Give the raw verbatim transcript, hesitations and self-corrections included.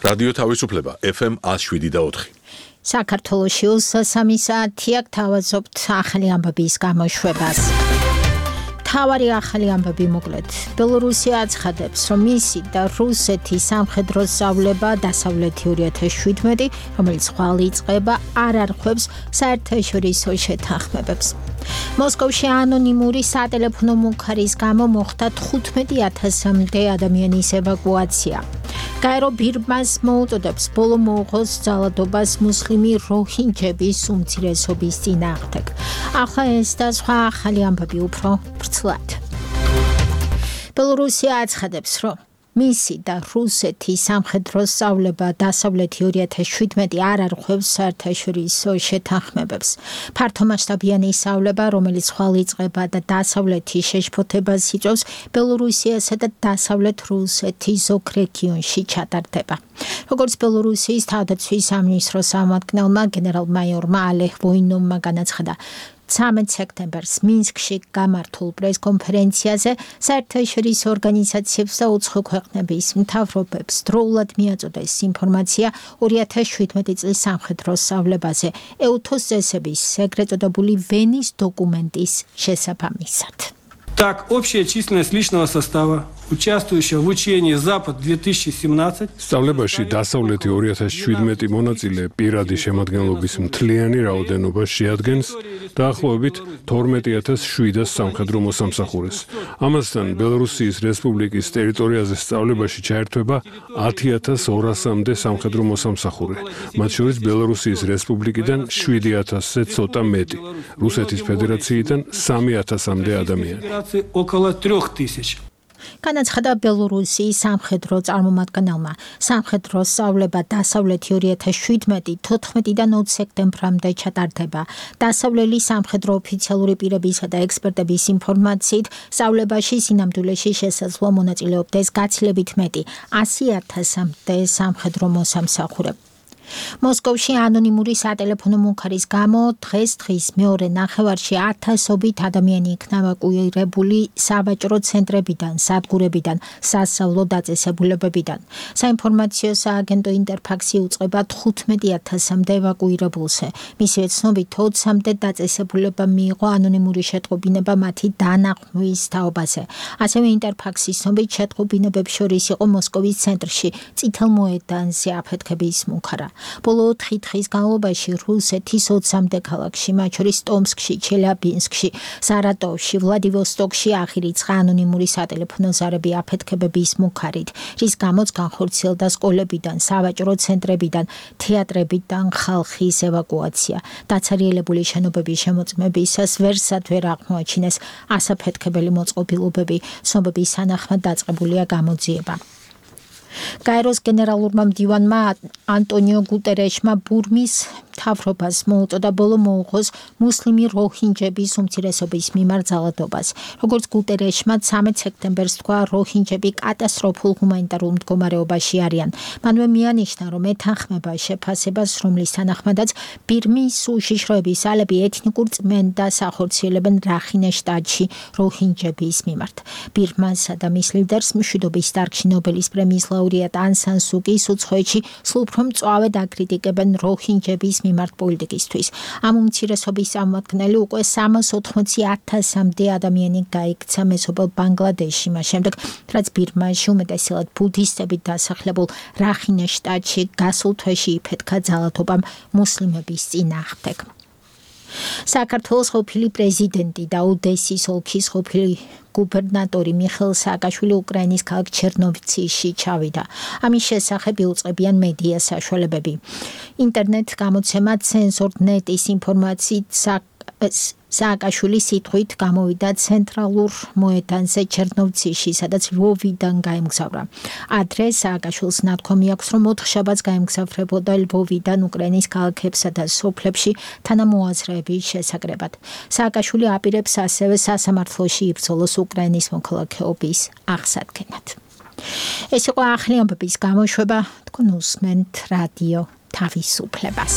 რადიო თავისუფლება ეფ ემ one oh seven და four. საქართველოში უსასამი საათია გთავაზობთ ახალი ამბების გამოშვებას. თავარი ახალი ამბები მოკლედ. ბელორუსია აცხადებს, რომ მისი და რუსეთის სამხედრო სწავლება დასავლეთი two thousand seventeen, რომელიც ხვალ იწყება, არ არღვევს საერთაშორისო შეთანხმებებს. მოსკოვში ანონიმური სატელეფონო მუქარის გამო მოხდა თხუთმეტი ათასამდე ადამიანის ევაკუაცია. გაერო ბირმას მოუწოდებს ბოლო მოუღოს ძალადობას მუსლიმი როჰინჯების უმცირესობის წინააღმდეგ. ახლა ეს და სხვა ახალი ამბები უფრო ვრცლად. ბელორუსია აცხადებს, რომ მისი და რუსეთის სამხედრო სწავლება დასავლეთი two thousand seventeen არ არღვევს საერთაშორისო შეთანხმებებს. ფართომასშტაბიანი სწავლება, რომელიც ხვალ იწყება და დასავლეთის შეშფოთებას იწვევს, ბელორუსიასა და დასავლეთ რუსეთის ზოგ რეგიონში ჩატარდება. როგორც ბელორუსიის თავდაცვის სამინისტროს წარმომადგენელმა გენერალ-მაიორმა ალეხ ვოინოვმა განაცხადა, thirteenth სექტემბერს მინსკში გამართულ პრეს-კონფერენციაზე საერთაშორისო ორგანიზაციებს და უცხო ქვეყნების მთავრობებს დროულად მიაწოდეს ინფორმაცია two thousand seventeen წლის სამხედრო სწავლებაზე ეუთოს წესების ეგრეთ წოდებული ვენის დოკუმენტის შესაბამისად. Так, общая численность личного состава, участвующего в учении Запад two thousand seventeen. სწავლებაში დასავლეთი two thousand seventeen მონაწილე პირადი შემადგენლობის მთლიანი რაოდენობა შეადგენს დაახლოებით twelve thousand seven hundred სამხედრო მოსამსახურეს. ამასთან ბელორუსიის რესპუბლიკის ტერიტორიაზე სწავლებაში ჩაერთვება ten thousand two hundred-მდე სამხედრო მოსამსახურე, მათ შორის ბელორუსიის რესპუბლიკიდან seven thousand-ზე ცოტა მეტი, რუსეთის ფედერაციიდან three thousand-მდე ადამიანი. Около трех тысяч. განაცხადა ბელორუსიის სამხედრო წარმომადგენელმა. სამხედრო სწავლება დასავლეთი two thousand seventeen fourteen-დან twenty სექტემბრამდე ჩატარდება. დასავლელი სამხედრო ოფიციალური პირებისა და ექსპერტების ინფორმაციით, სწავლებაში სინამდვილეში შესაძლო მონაწილეობდეს გაცილებით მეტი one hundred thousand-მდე სამხედრო მოსამსახურე. მოსკოვში ანონიმური სატელეფონო მუქარის გამო დღეს დღის მეორე ნახევარში ათასობით ადამიანი იქნა ევაკუირებული სავაჭრო ცენტრებიდან, სადგურებიდან, სასწავლო დაწესებულებებიდან. საინფორმაციო სააგენტო ინტერფაქსი უწყება თხუთმეტი ათასამდე ევაკუირებულზე. მისივე ცნობით ოცამდე დაწესებულება მიიღო ანონიმური შეტყობინება მათი დანახვნის თაობაზე. ასევე ინტერფაქსის ცნობით შეტყობინებებს შორის იყო მოსკოვის ცენტრში, წითელ მოედანზე აფეთქების მუქარა. ბოლო ოთხი დღის განმავლობაში რუსეთის ოცამდე ქალაქში, მათ შორის ტომსკში, ჩელიაბინსკში, სარატოვში, ვლადივოსტოკში აღირიცხა ანონიმური სატელეფონო ზარები აფეთქებების მუქარით, რის გამოც განხორციელდა სკოლებიდან, სავაჭრო ცენტრებიდან, თეატრებიდან ხალხის ევაკუაცია. დაცარიელებული შენობების შემოწმებისას ვერსად ვერ აღმოაჩინეს ასაფეთქებელი მოწყობილობები, ცნობების თანახმად დაწყებულია გამოძიება. გაეროს გენერალურმა მდივანმა ანტონიო გუტერეშმა ბურმის მთავრობას მოუწოდა ბოლო მოუღოს მუსლიმი როჰინჯების უმცირესობის მიმართ ძალადობას. როგორც გუტერეშმა thirteenth სექტემბერს თქვა, როჰინჯები კატასტროფულ ჰუმანიტარულ მდგომარეობაში არიან. მანვე მიანიშნა, რომ ეთანხმება შეფასებას, რომლის თანახმადაც ბირმის უშიშროების ალები ეთნიკურ წმენდას ახორციელებენ რახინე შტატში როჰინჯების მიმართ. ბირმასა და მის ლიდერს მშვიდობის დარგში ნობელის პრემიის ლაურეატ ან სან სუკის უცხოეთში სულ უფრო მწვავედ აკრიტიკებენ როჰინჯების მიმართ პოლიტიკისთვის. ამ უმცირესობის წარმომადგენელი უკვე three hundred eighty thousand-მდე ადამიანი გაიქცა მეზობელ ბანგლადეშში, მას შემდეგ, რაც ბირმაში უმეტესად ბუდისტებით დასახლებულ რახინე შტატში გასულ თვეში იფეთქა ძალადობამ მუსლიმების წინააღმდეგ. საქართველოს ყოფილი პრეზიდენტი და ოდესის ოლქის ყოფილი გუბერნატორი მიხეილ სააკაშვილი უკრაინის ქალაქ ჩერნოვცში ჩავიდა. ამის შესახებ იუწყებიან მედია საშუალებები. ინტერნეტ გამოცემა Censor.net-ის ინფორმაციით სააკაშვილი სიტყვით გამოვიდა ცენტრალურ მოედანზე ჩერნოვცში, სადაც ლვოვიდან გაემგზავრა. ადრე სააკაშვილს ნათქვამი აქვს, რომ ოთხშაბათს გაემგზავრებოდა ლვოვიდან უკრაინის ქალაქებსა და სოფლებში თანამოაზრეების შესაკრებად. სააკაშვილი აპირებს ასევე სასამართლოში იბრძოლოს უკრაინის მოქალაქეობის აღსადგენად. ეს იყო ახალი ამბების გამოშვება, თქვენ უსმენთ რადიო თავისუფლებას.